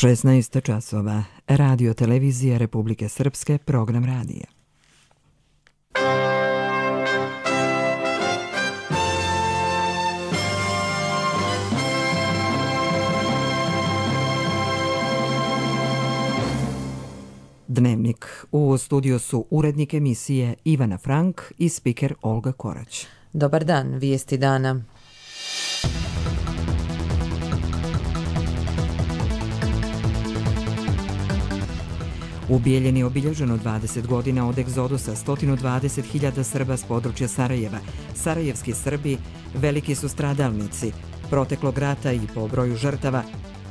16 časova. Radio televizija Republike Srpske, program radija. Dnevnik. U studiju su urednik emisije Ivana Frank i spiker Olga Korać. Dobar dan, vijesti dana. U Bijeljini je obilježeno 20 godina od egzodusa 120.000 Srba s područja Sarajeva. Sarajevski Srbi veliki su stradalnici proteklog rata i po broju žrtava,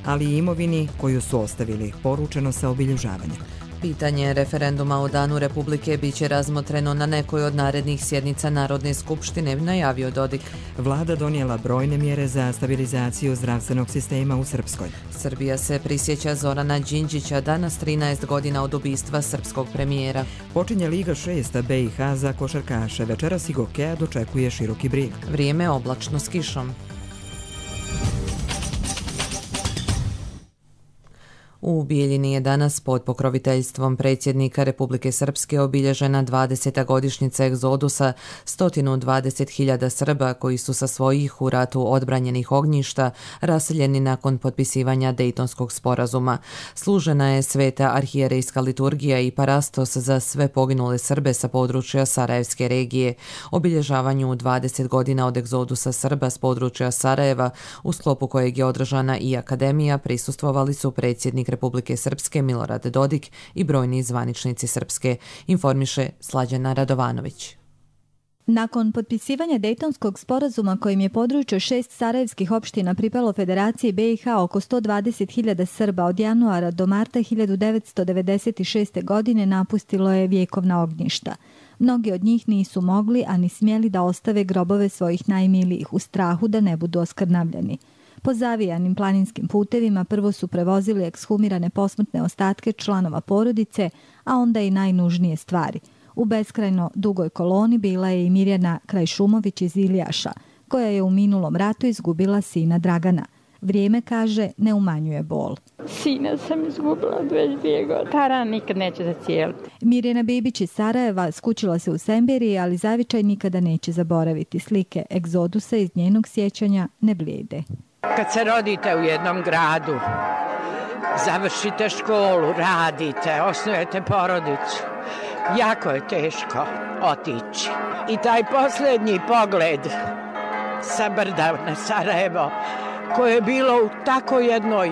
ali i imovini koju su ostavili, poručeno sa obilježavanja. Pitanje referenduma o Danu Republike biće razmotreno na nekoj od narednih sjednica Narodne skupštine, najavio Dodik. Vlada donijela brojne mjere za stabilizaciju zdravstvenog sistema u Srpskoj. Srbija se prisjeća Zorana Đinđića danas 13 godina od ubistva srpskog premijera. Počinje Liga 6 BiH za košarkaše. Večeras i Gokeja dočekuje široki brijeg. Vrijeme oblačno s kišom. U Bijeljini je danas pod pokroviteljstvom predsjednika Republike Srpske obilježena 20. godišnjica egzodusa 120.000 Srba koji su sa svojih u ratu odbranjenih ognjišta raseljeni nakon potpisivanja Dejtonskog sporazuma. Služena je sveta arhijerejska liturgija i parastos za sve poginule Srbe sa područja Sarajevske regije. Obilježavanju 20 godina od egzodusa Srba s područja Sarajeva, u sklopu kojeg je održana i akademija, prisustvovali su predsjednik Republike Srpske Milorad Dodik i brojni zvaničnici Srpske, informiše Slađana Radovanović. Nakon potpisivanja Dejtonskog sporazuma kojim je područje 6 sarajevskih opština pripalo Federaciji BiH, oko 120.000 Srba od januara do marta 1996. godine napustilo je vjekovna ognjišta. Mnogi od njih nisu mogli, a ni smjeli da ostave grobove svojih najmilijih u strahu da ne budu oskrnavljeni. Po zavijanim planinskim putevima prvo su prevozili ekshumirane posmrtne ostatke članova porodice, a onda i najnužnije stvari. U beskrajno dugoj koloni bila je i Mirjana Krajšumović iz Ilijaša, koja je u minulom ratu izgubila sina Dragana. Vrijeme, kaže, ne umanjuje bol. Sina sam izgubila 22 godine. Ta rana nikad neće zacijeliti. Mirjana Bibić iz Sarajeva skućila se u Semberiji, ali zavičaj nikada neće zaboraviti. Slike egzodusa iz njenog sjećanja ne blijede. Kad se rodite u jednom gradu, završite školu, radite, osnujete porodicu, jako je teško otići. I taj posljednji pogled sa brda na Sarajevo, koje je bilo u tako jednoj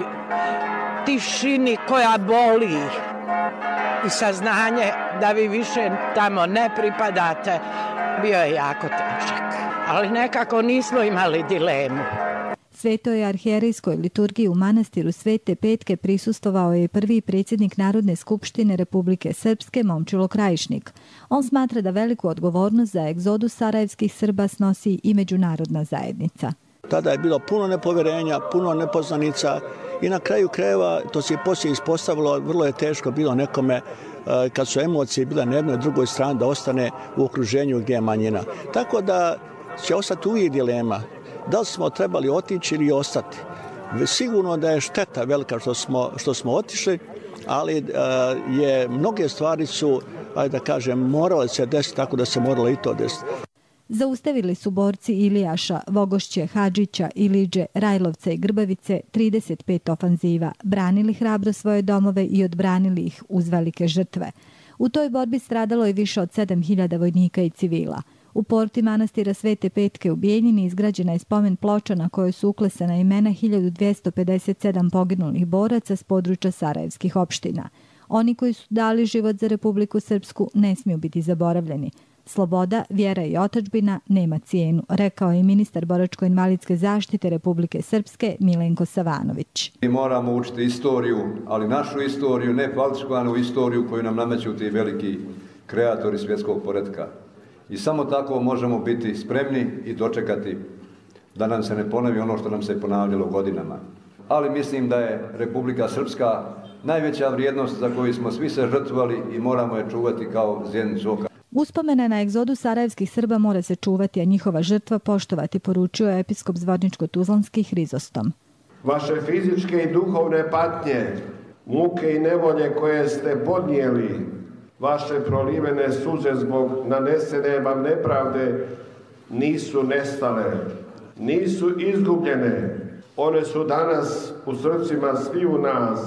tišini koja boli i saznanje da vi više tamo ne pripadate, bio je jako težak. Ali nekako nismo imali dilemu. Svetoj arhijerejskoj liturgiji u manastiru Svete Petke prisustvovao je prvi predsjednik Narodne skupštine Republike Srpske Momčilo Krajišnik. On smatra da veliku odgovornost za egzodus sarajevskih Srba snosi i međunarodna zajednica. Tada je bilo puno nepovjerenja, puno nepoznanica i na kraju krajeva, to se poslije ispostavilo, vrlo je teško bilo nekome kad su emocije bile na jednoj i drugoj strani da ostane u okruženju gdje je manjina. Tako da će ostati uvijek dilema. Da li smo trebali otići ili ostati? Sigurno da je šteta velika što smo otišli, ali mnoge stvari su, ajde da kažem, morale se desiti, tako da se moralo i to desiti. Zaustavili su borci Ilijaša, Vogošće, Hadžića, Iliđe, Rajlovca i Grbavice 35 ofanziva, branili hrabro svoje domove i odbranili ih uz velike žrtve. U toj borbi stradalo je više od 7.000 vojnika i civila. U porti manastira Svete Petke u Bijeljini izgrađena je spomen ploča na kojoj su uklesana imena 1257 poginulih boraca s područja sarajevskih opština. Oni koji su dali život za Republiku Srpsku ne smiju biti zaboravljeni. Sloboda, vjera i otadžbina nema cijenu, rekao je ministar boračko-invalidske zaštite Republike Srpske Milenko Savanović. Mi moramo učiti istoriju, ali našu istoriju, ne falsifikovanu istoriju koju nam nameću ti veliki kreatori svjetskog poretka. I samo tako možemo biti spremni i dočekati da nam se ne ponovi ono što nam se ponavljalo godinama. Ali mislim da je Republika Srpska najveća vrijednost za koju smo svi se žrtvovali i moramo je čuvati kao zjenicu oka. Uspomena na egzodus sarajevskih Srba mora se čuvati, a njihova žrtva poštovati, poručio je episkop Zvorničko-Tuzlanski Hrizostom. Vaše fizičke i duhovne patnje, muke i nevolje koje ste podnijeli, vaše prolivene suze zbog nanesene vam nepravde nisu nestale, nisu izgubljene. One su danas u srcima sviju nas,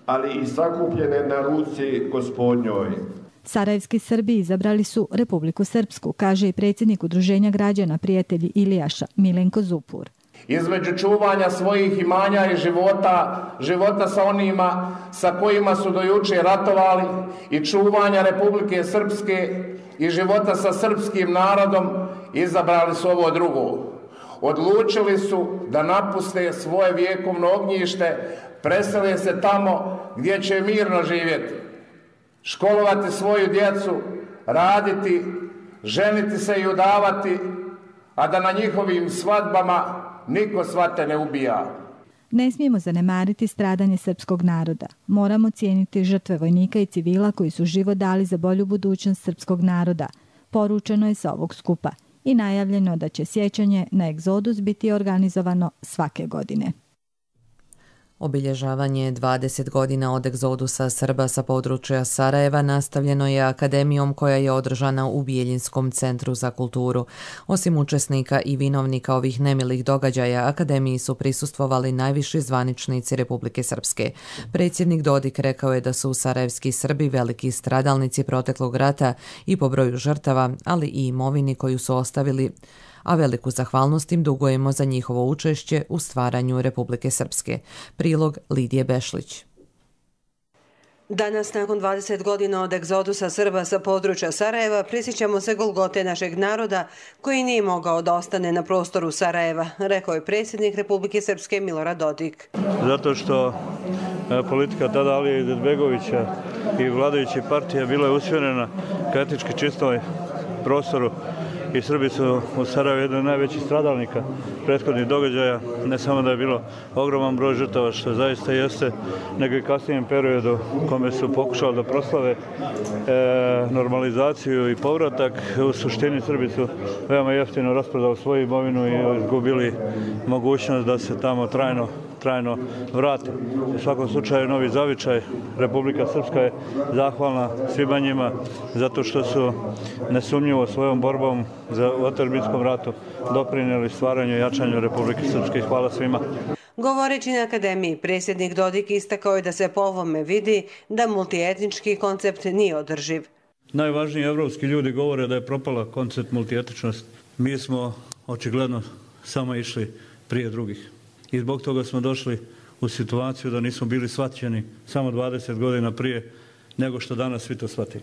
ali i sakupljene na ruci Gospodnjoj. Sarajevski Srbi izabrali su Republiku Srpsku, kaže i predsjednik Udruženja građana Prijatelji Ilijaša, Milenko Zupur. Između čuvanja svojih imanja i života sa onima sa kojima su do juče ratovali i čuvanja Republike Srpske i života sa srpskim narodom, izabrali su ovo drugo. Odlučili su da napuste svoje vjekovno ognjište, presele se tamo gdje će mirno živjeti, školovati svoju djecu, raditi, ženiti se i udavati, a da na njihovim svadbama niko svate ne ubija. Ne smijemo zanemariti stradanje srpskog naroda. Moramo cijeniti žrtve vojnika i civila koji su život dali za bolju budućnost srpskog naroda. Poručeno je sa ovog skupa i najavljeno da će sjećanje na egzodus biti organizovano svake godine. Obilježavanje 20 godina od egzodusa Srba sa područja Sarajeva nastavljeno je akademijom koja je održana u Bijeljinskom centru za kulturu. Osim učesnika i vinovnika ovih nemilih događaja, akademiji su prisustvovali najviši zvaničnici Republike Srpske. Predsjednik Dodik rekao je da su sarajevski Srbi veliki stradalnici proteklog rata i po broju žrtava, ali i imovini koju su ostavili, a veliku zahvalnost im dugujemo za njihovo učešće u stvaranju Republike Srpske. Prilog Lidije Bešlić. Danas, nakon 20 godina od egzodusa Srba sa područja Sarajeva, prisjećamo se golgote našeg naroda koji nije mogao da ostane na prostoru Sarajeva, rekao je predsjednik Republike Srpske Milorad Dodik. Zato što politika tada Alije Izetbegovića i vladajuće partije bila je usmjerena ka etički čistom prostoru i Srbi su u Sarajevu jedan od najvećih stradalnika prethodnih događaja. Ne samo da je bilo ogroman broj žrtava, što zaista jeste, nego i kasnijem periodu u kome su pokušali da proslave normalizaciju i povratak. U suštini Srbi su veoma jeftino rasprodali svoju imovinu i izgubili mogućnost da se tamo trajno vrati. U svakom slučaju novi zavičaj. Republika Srpska je zahvalna svima njima zato što su nesumnjivo svojom borbom za otadžbinskom ratu doprinijeli stvaranju i jačanju Republike Srpske. Hvala svima. Govoreći na akademiji, predsjednik Dodik istakao je da se po ovome vidi da multietnički koncept nije održiv. Najvažniji evropski ljudi govore da je propala koncept multietničnosti. Mi smo očigledno samo išli prije drugih. I zbog toga smo došli u situaciju da nismo bili shvaćeni samo 20 godina prije nego što danas svi to shvati.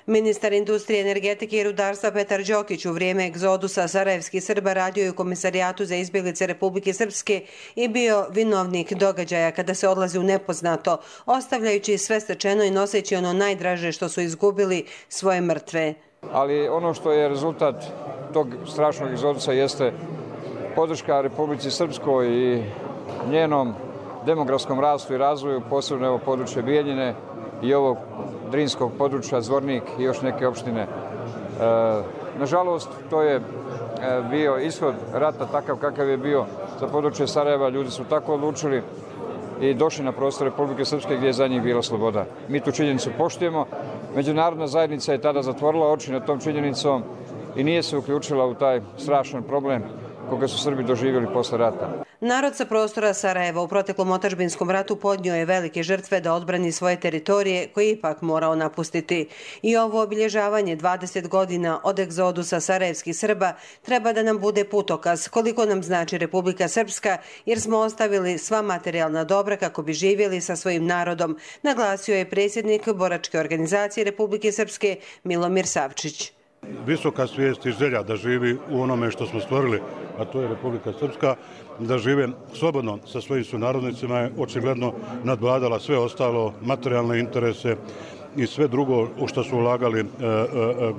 Ministar industrije, energetike i rudarstva Petar Đokić u vrijeme egzodusa sarajevskih Srba radio je u Komisarijatu za izbjeglice Republike Srpske i bio vinovnik događaja kada se odlazi u nepoznato, ostavljajući sve stečeno i noseći ono najdraže što su izgubili, svoje mrtve. Ali ono što je rezultat tog strašnog egzodusa jeste podrška Republici Srpskoj i njenom demografskom rastu i razvoju, posebno evo područje Bijeljine i ovog drinskog područja Zvornik i još neke opštine. Nažalost, to je bio ishod rata takav kakav je bio za područje Sarajeva. Ljudi su tako odlučili i došli na prostor Republike Srpske gdje je za njih bila sloboda. Mi tu činjenicu poštujemo. Međunarodna zajednica je tada zatvorila oči nad tom činjenicom i nije se uključila u taj strašan problem koga su Srbi doživjeli posle rata. Narod sa prostora Sarajeva u proteklom otadžbinskom ratu podnio je velike žrtve da odbrani svoje teritorije koje je ipak morao napustiti. I ovo obilježavanje 20 godina od egzodusa sarajevskih Srba treba da nam bude putokaz koliko nam znači Republika Srpska, jer smo ostavili sva materijalna dobra kako bi živjeli sa svojim narodom, naglasio je predsjednik boračke organizacije Republike Srpske Milomir Savčić. Visoka svijest i želja da živi u onome što smo stvorili, a to je Republika Srpska, da žive slobodno sa svojim sunarodnicima je očigledno nadvladala sve ostalo, materijalne interese i sve drugo u što su ulagali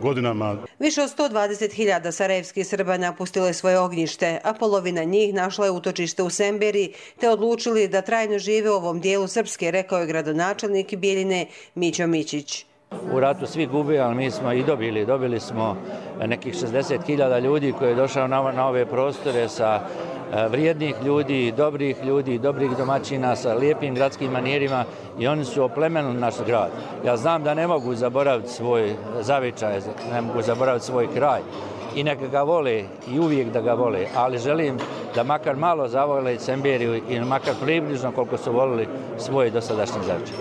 godinama. Više od 120.000 sarajevskih Srba napustilo je svoje ognjište, a polovina njih našla je utočište u Semberi, te odlučili da trajno žive u ovom dijelu Srpske, rekao je gradonačelnik Bijeljine Mićo Mićić. U ratu svi gube, ali mi smo i dobili smo nekih 60.000 ljudi koji je došao na ove prostore sa vrijednih ljudi, dobrih domaćina sa lijepim gradskim manirima i oni su oplemenili naš grad. Ja znam da ne mogu zaboraviti svoj zavičaj, ne mogu zaboraviti svoj kraj i neka ga vole i uvijek da ga vole, ali želim da makar malo zavole Semberiju i makar približno koliko su volili svoj dosadašnji zavičaj.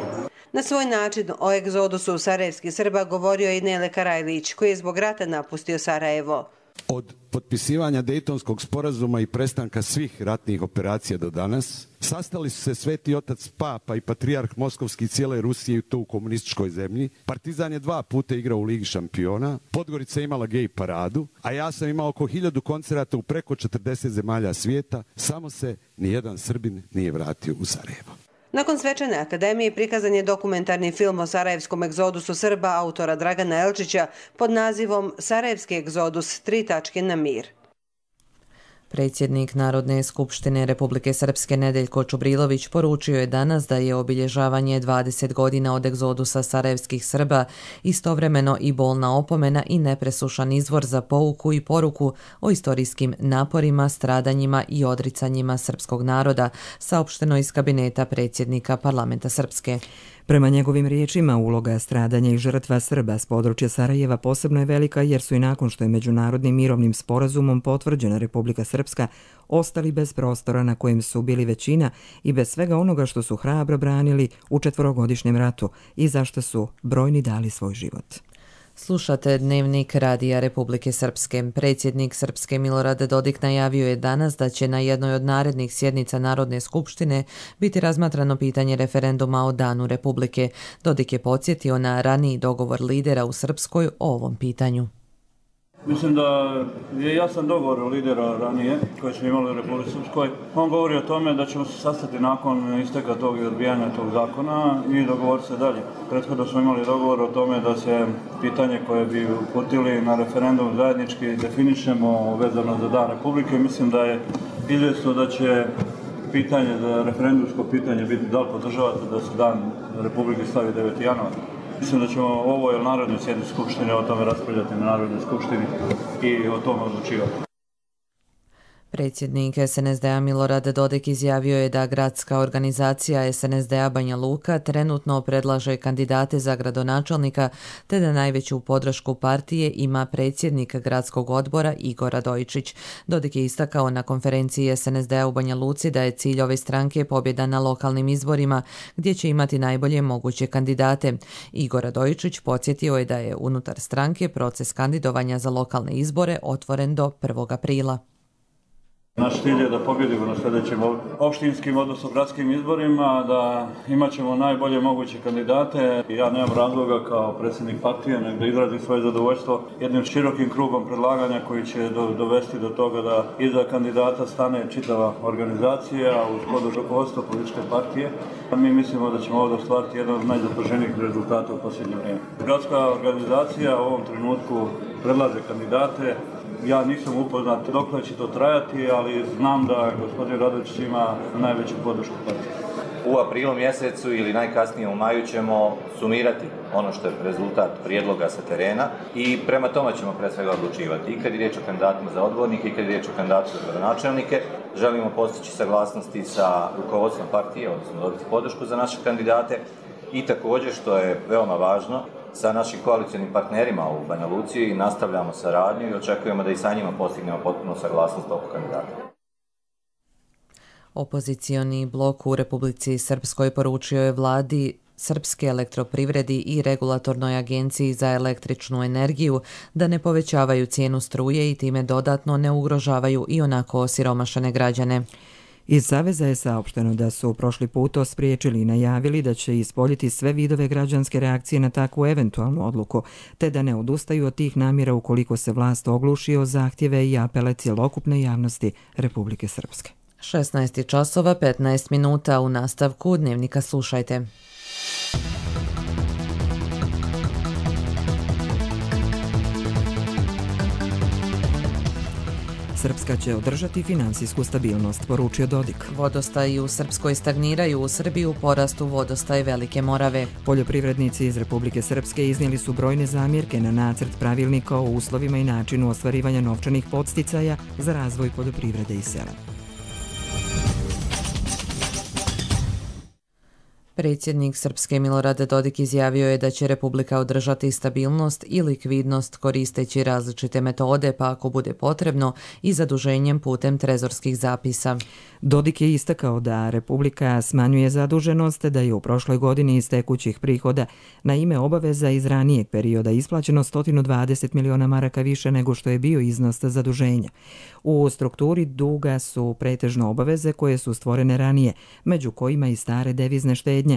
Na svoj način o egzodusu sarajevskih Srba govorio i Nele Karajlić, koji je zbog rata napustio Sarajevo. Od potpisivanja Dejtonskog sporazuma i prestanka svih ratnih operacija do danas, sastali su se Sveti otac Papa i patrijarh Moskovski cijele Rusije i to u komunističkoj zemlji. Partizan je 2 puta igrao u Ligi šampiona, Podgorica je imala gej paradu, a ja sam imao oko 1000 koncerata u preko 40 zemalja svijeta, samo se nijedan Srbin nije vratio u Sarajevo. Nakon svečane akademije prikazan je dokumentarni film o sarajevskom egzodusu Srba autora Dragana Elčića pod nazivom Sarajevski egzodus 3 tačke na mir. Predsjednik Narodne skupštine Republike Srpske Nedeljko Čubrilović poručio je danas da je obilježavanje 20 godina od egzodusa sarajevskih Srba istovremeno i bolna opomena i nepresušan izvor za pouku i poruku o istorijskim naporima, stradanjima i odricanjima srpskog naroda, saopšteno iz kabineta predsjednika Parlamenta Srpske. Prema njegovim riječima, uloga stradanja i žrtva Srba s područja Sarajeva posebno je velika jer su i nakon što je međunarodnim mirovnim sporazumom potvrđena Republika Srpska ostali bez prostora na kojem su bili većina i bez svega onoga što su hrabro branili u 4-godišnjem ratu i zašto su brojni dali svoj život. Slušate Dnevnik Radija Republike Srpske. Predsjednik Srpske Milorad Dodik najavio je danas da će na jednoj od narednih sjednica Narodne skupštine biti razmatrano pitanje referenduma o Danu Republike. Dodik je podsjetio na raniji dogovor lidera u Srpskoj o ovom pitanju. Mislim da je jasan dogovor lidera ranije koji smo imali u Republici Srpskoj. On govori o tome da ćemo se sastati nakon isteka tog i odbijanja tog zakona i dogovoriti se dalje. Prethodno smo imali dogovor o tome da se pitanje koje bi uputili na referendum zajednički definišemo vezano za Dan Republike. Mislim da je izvjesno da će pitanje, za referendumsko pitanje biti da li podržavate da se Dan Republike stavi 9. januar. Mislim da ćemo ovo je Narodnoj sjednici Skupštine o tome raspravljati na Narodnoj skupštini i o tome odlučivati. Predsjednik SNSD-a Milorad Dodik izjavio je da gradska organizacija SNSD-a Banja Luka trenutno predlaže kandidate za gradonačelnika te da najveću podršku partije ima predsjednik gradskog odbora Igor Radojičić. Dodik je istakao na konferenciji SNSD-a u Banja Luci da je cilj ove stranke pobjeda na lokalnim izborima gdje će imati najbolje moguće kandidate. Igor Radojičić podsjetio je da je unutar stranke proces kandidovanja za lokalne izbore otvoren do 1. aprila. Naš cilj je da pobjedimo na sljedećim opštinskim, odnosno gradskim izborima, da imat ćemo najbolje moguće kandidate. Ja nemam razloga kao predsjednik partije nego da izrazim svoje zadovoljstvo jednim širokim krugom predlaganja koji će dovesti do toga da iza kandidata stane čitava organizacija uz podršku rukovodstva političke partije. Mi mislimo da ćemo ovdje ostvariti jedan od najzapaženijih rezultata u posljednje vrijeme. Gradska organizacija u ovom trenutku predlaže kandidate. Ja nisam upoznat dokle će to trajati, ali znam da gospodin Radojičić ima najveću podršku partije. U aprilu mjesecu ili najkasnije u maju ćemo sumirati ono što je rezultat prijedloga sa terena i prema tome ćemo pre svega odlučivati. I kad je riječ o kandidatima za odbornike i kad je riječ o kandidatu za gradonačelnike, želimo postići saglasnosti sa rukovodstvom partije, odnosno dobiti podršku za naše kandidate i također, što je veoma važno, sa našim koalicionim partnerima u Banja Luci i nastavljamo saradnju i očekujemo da i sa njima postignemo potpunu saglasnost oko kandidata. Opozicioni blok u Republici Srpskoj poručio je vladi Srpske elektroprivredi i Regulatornoj agenciji za električnu energiju da ne povećavaju cijenu struje i time dodatno ne ugrožavaju i onako osiromašene građane. Iz Saveza je saopšteno da su prošli put to spriječili i najavili da će ispoljiti sve vidove građanske reakcije na takvu eventualnu odluku, te da ne odustaju od tih namjera ukoliko se vlast ogluši o zahtjeve i apele cjelokupne javnosti Republike Srpske. 16 časova 15 minuta u nastavku Dnevnika slušajte. Srpska će održati finansijsku stabilnost, poručio Dodik. Vodostaji u Srpskoj stagniraju, u Srbiji u porastu vodostaj Velike Morave. Poljoprivrednici iz Republike Srpske iznijeli su brojne zamjerke na nacrt pravilnika o uslovima i načinu ostvarivanja novčanih podsticaja za razvoj poljoprivrede i sela. Predsjednik Srpske Milorad Dodik izjavio je da će Republika održati stabilnost i likvidnost koristeći različite metode, pa ako bude potrebno i zaduženjem putem trezorskih zapisa. Dodik je istakao da Republika smanjuje zaduženost, da je u prošloj godini iz tekućih prihoda na ime obaveza iz ranijeg perioda isplaćeno 120 miliona maraka više nego što je bio iznos zaduženja. U strukturi duga su pretežno obaveze koje su stvorene ranije, među kojima i stare devizne štednje,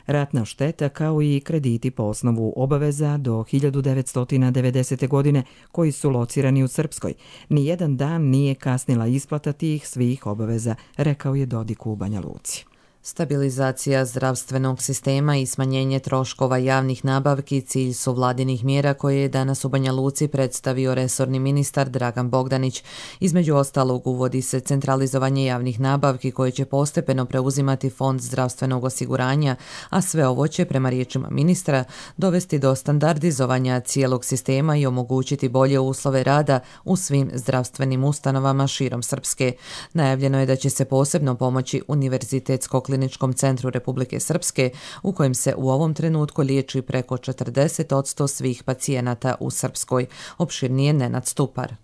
ratna šteta kao i krediti po osnovu obaveza do 1990. godine koji su locirani u Srpskoj. Nijedan dan nije kasnila isplata tih svih obaveza, rekao je Dodik u Banja Luci. Stabilizacija zdravstvenog sistema i smanjenje troškova javnih nabavki cilj su vladinih mjera koje je danas u Banja Luci predstavio resorni ministar Dragan Bogdanić. Između ostalog uvodi se centralizovanje javnih nabavki koje će postepeno preuzimati Fond zdravstvenog osiguranja, a sve ovo će, prema riječima ministra, dovesti do standardizovanja cijelog sistema i omogućiti bolje uslove rada u svim zdravstvenim ustanovama širom Srpske. Najavljeno je da će se posebno pomoći Univerzitetsko kliničkom centru Republike Srpske, u kojem se u ovom trenutku liječi preko 40% svih pacijenata u Srpskoj. Opširnije Nenad Stupar.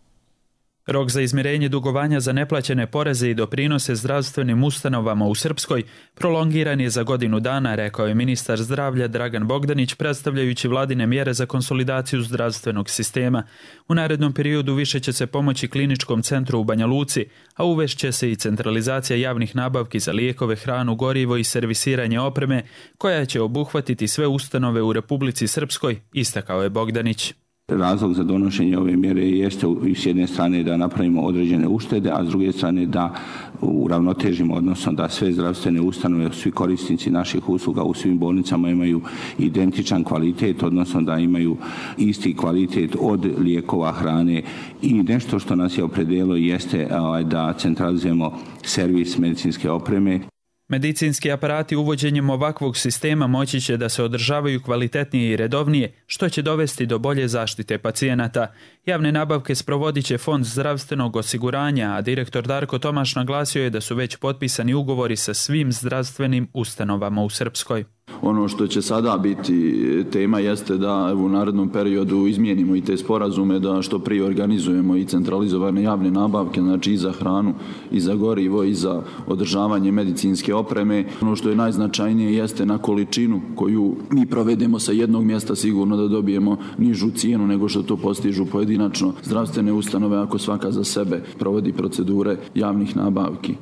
Rok za izmirenje dugovanja za neplaćene poreze i doprinose zdravstvenim ustanovama u Srpskoj prolongiran je za godinu dana, rekao je ministar zdravlja Dragan Bogdanić, predstavljajući vladine mjere za konsolidaciju zdravstvenog sistema. U narednom periodu više će se pomoći kliničkom centru u Banja Luci, a uvešće se i centralizacija javnih nabavki za lijekove, hranu, gorivo i servisiranje opreme, koja će obuhvatiti sve ustanove u Republici Srpskoj, istakao je Bogdanić. Razlog za donošenje ove mjere jeste s jedne strane da napravimo određene uštede, a s druge strane da uravnotežimo, odnosno da sve zdravstvene ustanove, svi korisnici naših usluga u svim bolnicama imaju identičan kvalitet, odnosno da imaju isti kvalitet od lijekova, hrane i nešto što nas je opredijelilo jeste da centralizujemo servis medicinske opreme. Medicinski aparati uvođenjem ovakvog sistema moći će da se održavaju kvalitetnije i redovnije, što će dovesti do bolje zaštite pacijenata. Javne nabavke sprovodit će Fond zdravstvenog osiguranja, a direktor Darko Tomaš naglasio je da su već potpisani ugovori sa svim zdravstvenim ustanovama u Srpskoj. Ono što će sada biti tema jeste da u narednom periodu izmijenimo i te sporazume, da što prije organizujemo i centralizovane javne nabavke, znači i za hranu, i za gorivo, i za održavanje medicinske opreme. Ono što je najznačajnije jeste na količinu koju mi provedemo sa jednog mjesta sigurno da dobijemo nižu cijenu nego što to postižu pojedinačno zdravstvene ustanove ako svaka za sebe provodi procedure javnih nabavki.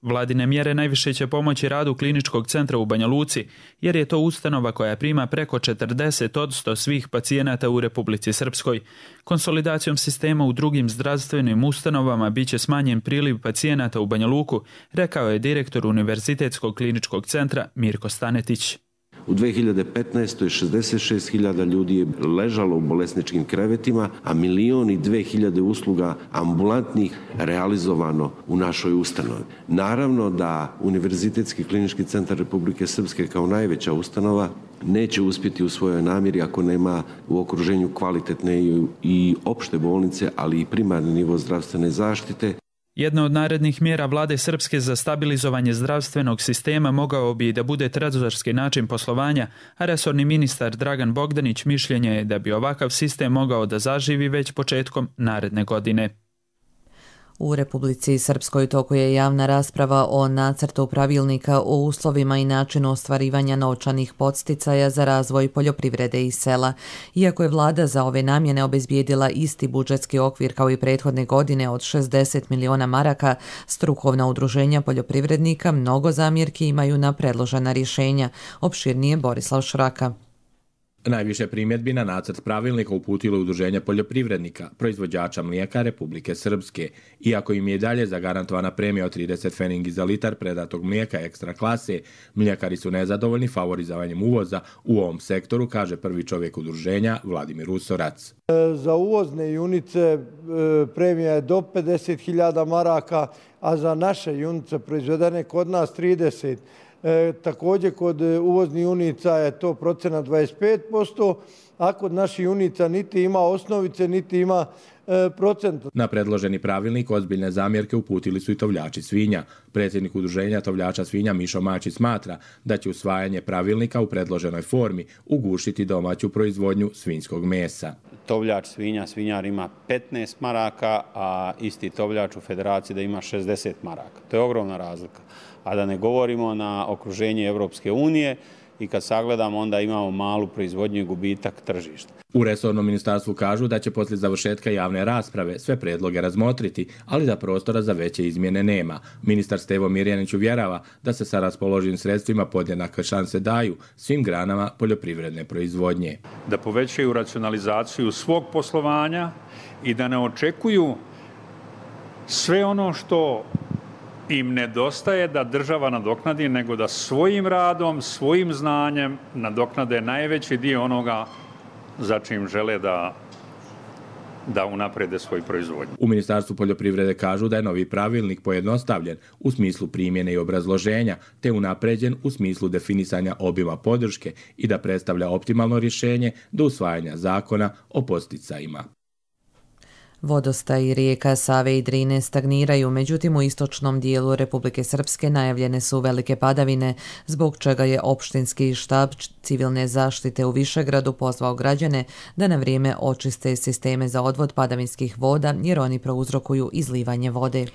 Vladine mjere najviše će pomoći radu kliničkog centra u Banja Luci, jer je to ustanova koja prima preko 40% svih pacijenata u Republici Srpskoj. Konsolidacijom sistema u drugim zdravstvenim ustanovama biće smanjen priliv pacijenata u Banja Luku, rekao je direktor Univerzitetskog kliničkog centra Mirko Stanetić. U 2015. 66.000 ljudi je ležalo u bolesničkim krevetima, a 1.200.000 usluga ambulantnih realizovano u našoj ustanovi. Naravno da Univerzitetski klinički centar Republike Srpske kao najveća ustanova neće uspjeti u svojoj namjeri ako nema u okruženju kvalitetne i opšte bolnice, ali i primarni nivo zdravstvene zaštite. Jedna od narednih mjera vlade Srpske za stabilizovanje zdravstvenog sistema mogao bi da bude trezorski način poslovanja, a resorni ministar Dragan Bogdanić mišljenje je da bi ovakav sistem mogao da zaživi već početkom naredne godine. U Republici Srpskoj toku je javna rasprava o nacrtu pravilnika o uslovima i načinu ostvarivanja novčanih podsticaja za razvoj poljoprivrede i sela. Iako je vlada za ove namjene obezbijedila isti budžetski okvir kao i prethodne godine od 60 miliona maraka, strukovna udruženja poljoprivrednika mnogo zamjerki imaju na predložena rješenja. Opširnije Borislav Šraka. Najviše primjedbi na nacrt pravilnika uputilo Udruženje poljoprivrednika, proizvođača mlijeka Republike Srpske. Iako im je i dalje zagarantovana premija od 30 feningi za litar predatog mlijeka ekstra klase, mljekari su nezadovoljni favorizovanjem uvoza u ovom sektoru, kaže prvi čovjek udruženja Vladimir Usorac. Za uvozne junice premija je do 50.000 maraka, a za naše junice proizvedene kod nas 30. Također kod uvoznih junica je to procenat 25%, a kod naših junica niti ima osnovice, niti ima procent. Na predloženi pravilnik ozbiljne zamjerke uputili su i tovljači svinja. Predsjednik udruženja tovljača svinja Mišo Mačić smatra da će usvajanje pravilnika u predloženoj formi ugušiti domaću proizvodnju svinjskog mesa. Tovljač svinja, svinjar ima 15 maraka, a isti tovljač u federaciji da ima 60 maraka. To je ogromna razlika. A da ne govorimo na okruženje Evropske unije i kad sagledamo onda imamo malu proizvodnju i gubitak tržišta. U resornom ministarstvu kažu da će poslije završetka javne rasprave sve predloge razmotriti, ali da prostora za veće izmjene nema. Ministar Stevo Mirjanić uvjerava da se sa raspoloživim sredstvima podjednake šanse daju svim granama poljoprivredne proizvodnje. Da povećaju racionalizaciju svog poslovanja i da ne očekuju sve ono što im nedostaje da država nadoknadi, nego da svojim radom, svojim znanjem nadoknade najveći dio onoga za čim žele da unaprede svoju proizvodnju. U Ministarstvu poljoprivrede kažu da je novi pravilnik pojednostavljen u smislu primjene i obrazloženja, te unapređen u smislu definisanja obima podrške i da predstavlja optimalno rješenje do usvajanja zakona o podsticajima. Vodostaji rijeka Save i Drine stagniraju, međutim u istočnom dijelu Republike Srpske najavljene su velike padavine, zbog čega je opštinski štab civilne zaštite u Višegradu pozvao građane da na vrijeme očiste sisteme za odvod padavinskih voda jer oni prouzrokuju izlivanje vode.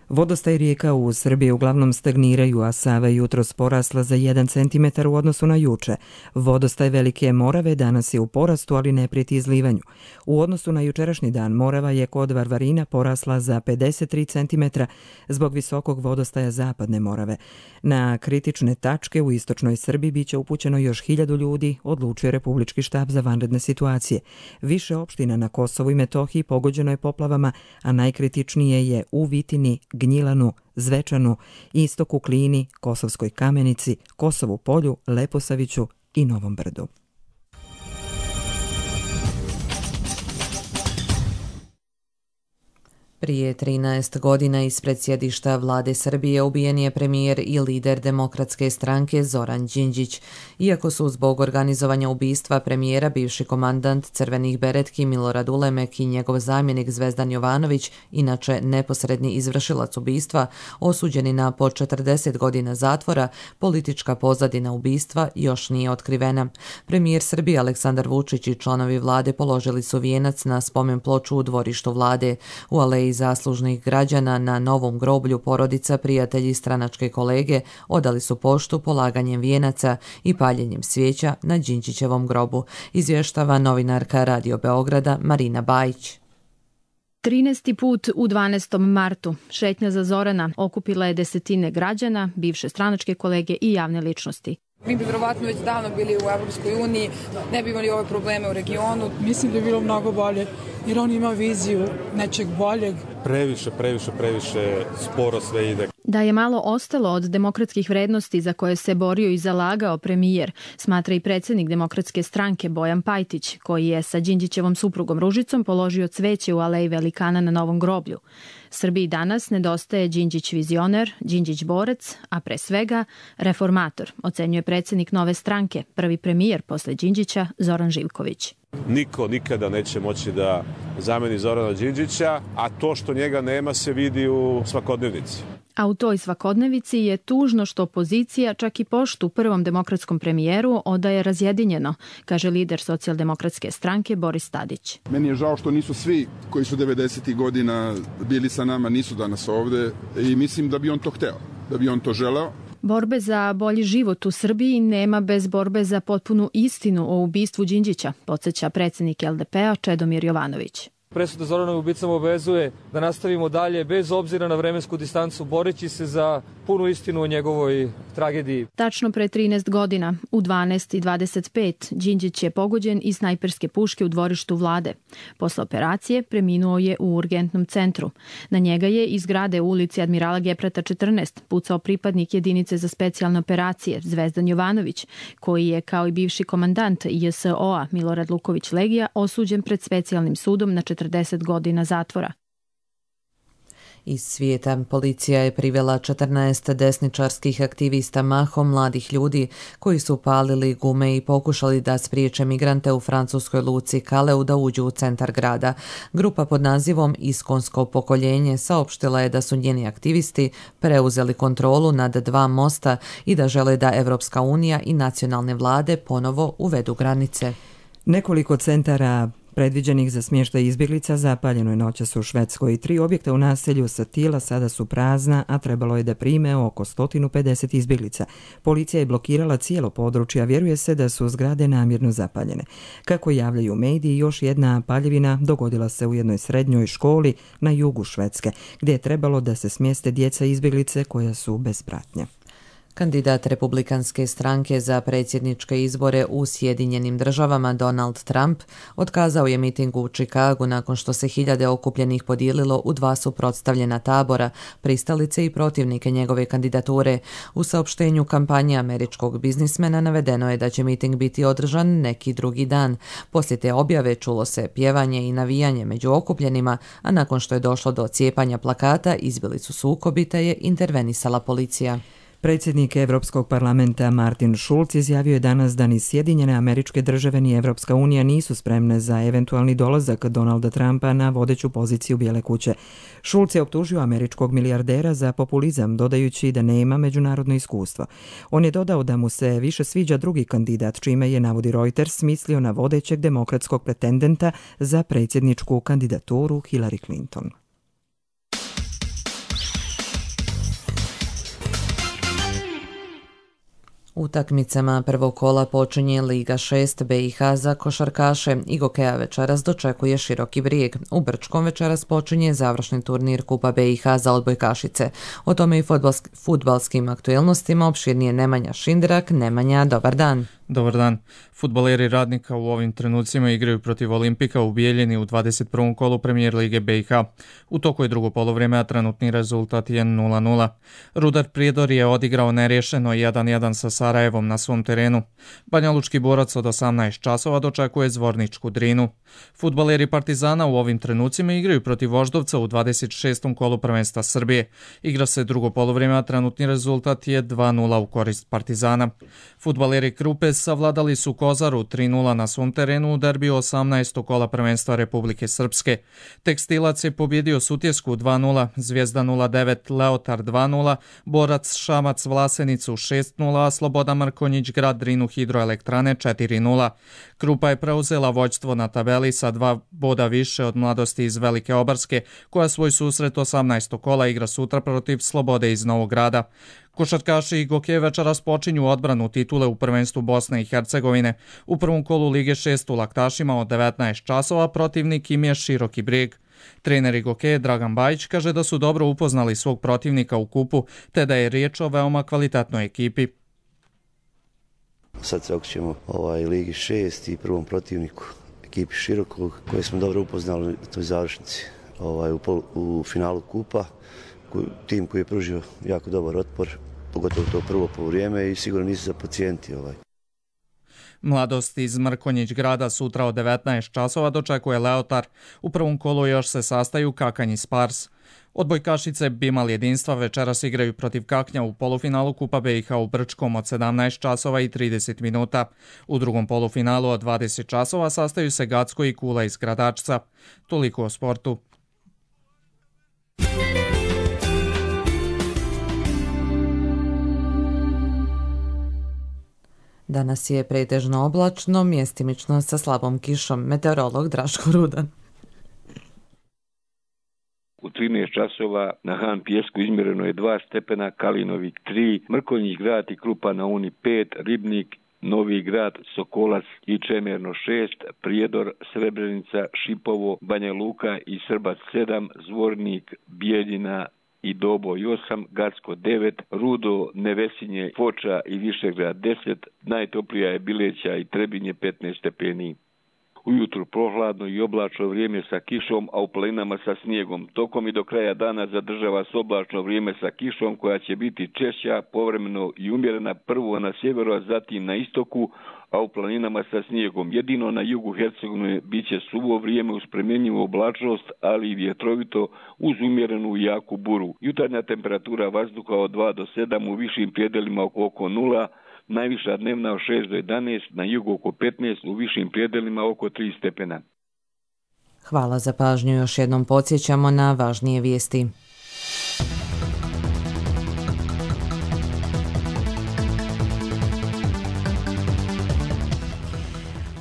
Vodostaj rijeka u Srbiji uglavnom stagniraju, a Sava je jutros porasla za 1 cm u odnosu na juče. Vodostaj Velike Morave danas je u porastu, ali ne prijeti izlivanju. U odnosu na jučerašnji dan Morava je kod Varvarina porasla za 53 cm zbog visokog vodostaja Zapadne Morave. Na kritične tačke u istočnoj Srbiji biće upućeno još 1000 ljudi, odlučio Republički štab za vanredne situacije. Više opština na Kosovu i Metohiji pogođeno je poplavama, a najkritičnije je u Vitini, Gnjilanu, Zvečanu, Istoku, Klini, Kosovskoj Kamenici, Kosovu Polju, Leposaviću i Novom Brdu. Prije 13 godina ispred sjedišta vlade Srbije ubijen je premijer i lider Demokratske stranke Zoran Đinđić. Iako su zbog organizovanja ubistva premijera bivši komandant Crvenih beretki Milorad Ulemek i njegov zamjenik Zvezdan Jovanović, inače neposredni izvršilac ubistva, osuđeni na po 40 godina zatvora, politička pozadina ubistva još nije otkrivena. Premijer Srbije Aleksandar Vučić i članovi vlade položili su vijenac na spomen ploču u dvorištu vlade. U aleji zaslužnih građana na Novom groblju porodica, prijatelji i stranačke kolege odali su poštu polaganjem vijenaca i paljenjem svijeća na Đinđićevom grobu, izvještava novinarka Radio Beograda Marina Bajić. 13. put u 12. martu šetnja za Zorana okupila je desetine građana, bivše stranačke kolege i javne ličnosti. Mi bi vjerovatno već davno bili u Evropskoj uniji, ne bi imali ove probleme u regionu. Mislim da je bilo mnogo bolje, jer on ima viziju nečeg boljeg. Previše sporo sve ide. Da je malo ostalo od demokratskih vrednosti za koje se borio i zalagao premijer, smatra i predsjednik Demokratske stranke Bojan Pajtić, koji je sa Đinđićevom suprugom Ružicom položio cveće u aleji velikana na Novom groblju. Srbiji danas nedostaje Đinđić vizioner, Đinđić borac, a pre svega reformator, ocenjuje predsjednik nove stranke, prvi premijer posle Đinđića Zoran Živković. Niko nikada neće moći da zameni Zorana Đinđića, a to što njega nema se vidi u svakodnevnici. A u toj svakodnevici je tužno što opozicija čak i poštu prvom demokratskom premijeru odaje razjedinjeno, kaže lider socijaldemokratske stranke Boris Tadić. Meni je žao što nisu svi koji su 90. godina bili sa nama, nisu danas ovde i mislim da bi on to hteo, da bi on to želeo. Borbe za bolji život u Srbiji nema bez borbe za potpunu istinu o ubistvu Đinđića, podsjeća predsjednik LDP-a Čedomir Jovanović. Presuda Zoranovim ubicama obavezuje da nastavimo dalje bez obzira na vremensku distancu, boreći se za punu istinu o njegovoj tragediji. Tačno pre 13 godina, u 12:25, Đinđić je pogođen iz snajperske puške u dvorištu vlade. Posle operacije preminuo je u urgentnom centru. Na njega je iz zgrade u ulici Admirala Geprata 14 pucao pripadnik jedinice za specijalne operacije Zvezdan Jovanović, koji je kao i bivši komandant JSO-a Milorad Luković Legija osuđen pred specijalnim sudom na 40 godina zatvora. Iz svijeta policija je privela 14 desničarskih aktivista, mahom mladih ljudi, koji su palili gume i pokušali da spriječe migrante u francuskoj luci Kaleu da uđu u centar grada. Grupa pod nazivom Iskonsko pokoljenje saopštila je da su njeni aktivisti preuzeli kontrolu nad 2 mosta i da žele da Evropska unija i nacionalne vlade ponovo uvedu granice. Nekoliko centara predviđenih za smještaj izbjeglica zapaljeno je noćas u Švedskoj. 3 objekta u naselju Satila sada su prazna, a trebalo je da prime oko 150 izbjeglica. Policija je blokirala cijelo područje, a vjeruje se da su zgrade namjerno zapaljene. Kako javljaju mediji, još jedna paljevina dogodila se u jednoj srednjoj školi na jugu Švedske, gdje je trebalo da se smjeste djeca izbjeglice koja su bez pratnje. Kandidat Republikanske stranke za predsjedničke izbore u Sjedinjenim Državama Donald Trump otkazao je miting u Čikagu nakon što se hiljade okupljenih podijelilo u 2 suprotstavljena tabora, pristalice i protivnike njegove kandidature. U saopštenju kampanje američkog biznismena navedeno je da će miting biti održan neki drugi dan. Poslije te objave čulo se pjevanje i navijanje među okupljenima, a nakon što je došlo do cijepanja plakata, izbili su sukobi te je intervenisala policija. Predsjednik Evropskog parlamenta Martin Schulz izjavio je danas da ni Sjedinjene Američke Države ni Evropska unija nisu spremne za eventualni dolazak Donalda Trumpa na vodeću poziciju Bijele kuće. Schulz je optužio američkog milijardera za populizam, dodajući da nema međunarodno iskustvo. On je dodao da mu se više sviđa drugi kandidat, čime je, navodi Reuters, mislio na vodećeg demokratskog pretendenta za predsjedničku kandidaturu Hillary Clinton. Utakmicama prvog kola počinje Liga 6 BiH za košarkaše. Igokeja večeras dočekuje Široki Brijeg. U Brčkom večeras počinje završni turnir Kupa BiH za odbojkašice. O tome i fudbalskim aktuelnostima opširnije Nemanja Šindrak. Nemanja, dobar dan. Dobar dan. Fudbaleri Radnika u ovim trenucima igraju protiv Olimpika u Bijeljini u 21. kolu Premijer Lige BiH. U toku je drugo polovrijeme, a trenutni rezultat je 0-0. Rudar Prijedor je odigrao nerješeno 1-1 sa Sarajevom na svom terenu. Banjalučki Borac od 18 časova dočekuje Zvorničku Drinu. Fudbaleri Partizana u ovim trenucima igraju protiv Voždovca u 26. kolu prvenstva Srbije. Igra se drugo polovrijeme, a trenutni rezultat je 2-0 u korist Partizana. Fudbaleri Krupe savladali su Kozaru 3-0 na svom terenu u derbiju 18. kola prvenstva Republike Srpske. Tekstilac je pobjedio Sutjesku 2-0, Zvijezda 0-9, Leotar 2-0, Borac Šamac Vlasenicu 6-0, a Sloboda Mrkonjić Grad Drinu Hidroelektrane 4-0. Krupa je preuzela vođstvo na tabeli sa 2 boda više od Mladosti iz Velike Obarske, koja svoj susret 18. kola igra sutra protiv Slobode iz Novog Grada. Košarkaši Igokeje večeras počinju odbranu titule u prvenstvu Bosne i Hercegovine. U prvom kolu Lige 6 u Laktašima od 19 časova protivnik im je Široki Brijeg. Trener Igokeje Dragan Bajić kaže da su dobro upoznali svog protivnika u kupu, te da je riječ o veoma kvalitetnoj ekipi. Sad se okrećemo Ligi 6 i prvom protivniku, ekipi Širokog, koje smo dobro upoznali u toj završnici u finalu kupa. Tim koji je pružio jako dobar otpor, pogotovo to prvo poluvrijeme i sigurno nisu za pacijenti. Mladost iz Mrkonjić Grada sutra od 19 časova dočekuje Leotar. U prvom kolu još se sastaju Kakanj i Spars. Odbojkašice Bimal jedinstva večeras igraju protiv Kaknja u polufinalu Kupa BiH u Brčkom od 17 časova i 30 minuta. U drugom polufinalu od 20 časova sastaju se Gacko i Kula iz Gradačca. Toliko o sportu. Danas je pretežno oblačno, mjestimično sa slabom kišom. Meteorolog Draško Rudan. U 13 časova na Han Pjesku izmjereno je 2 stepena, Kalinovik 3, Mrkonjić Grad i Krupa na Uni 5, Ribnik Novi Grad, Sokolac i Čemerno 6, Prijedor, Srebrenica, Šipovo, Banja Luka i Srbac 7, Zvornik, Bijeljina i Doboj 8, Gacko 9, Rudo, Nevesinje, Foča i Višegrad 10, najtoplija je Bileća i Trebinje 15 stepeni. Ujutru prohladno i oblačno vrijeme sa kišom, a u planinama sa snijegom. Tokom i do kraja dana zadržava se oblačno vrijeme sa kišom koja će biti češća, povremeno i umjerena, prvo na sjeveru, a zatim na istoku, a u planinama sa snijegom. Jedino na jugu Hercegovine bit će suvo vrijeme uz promjenjivu oblačnost, ali i vjetrovito uz umjerenu i jaku buru. Jutarnja temperatura vazduha od 2 do 7, u višim prijedelima oko 0, najviša dnevna od 6 do 11, na jugu oko 15, u višim prijedelima oko 3 stepena. Hvala za pažnju. Još jednom podsjećamo na važnije vijesti.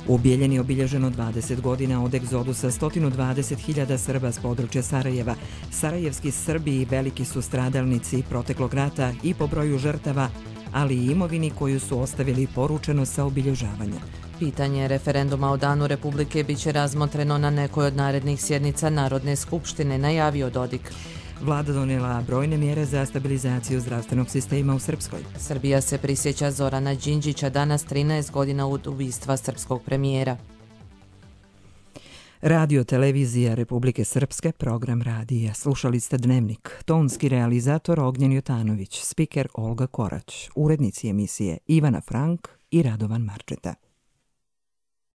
U Bijeljini je obilježeno 20 godina od egzodusa 120.000 Srba s područja Sarajeva. Sarajevski Srbi i veliki su stradalnici proteklog rata i po broju žrtava, ali i imovini koju su ostavili poručeno sa obilježavanja. Pitanje referenduma o Danu Republike biće razmotreno na nekoj od narednih sjednica Narodne skupštine, najavio Dodik. Vlada donijela brojne mjere za stabilizaciju zdravstvenog sistema u Srpskoj. Srbija se prisjeća Zorana Đinđića danas 13 godina od ubistva srpskog premijera. Radio televizija Republike Srpske, program radija. Slušali ste Dnevnik. Tonski realizator Ognjen Jotanović, spiker Olga Korać, urednici emisije Ivana Frank i Radovan Marčeta.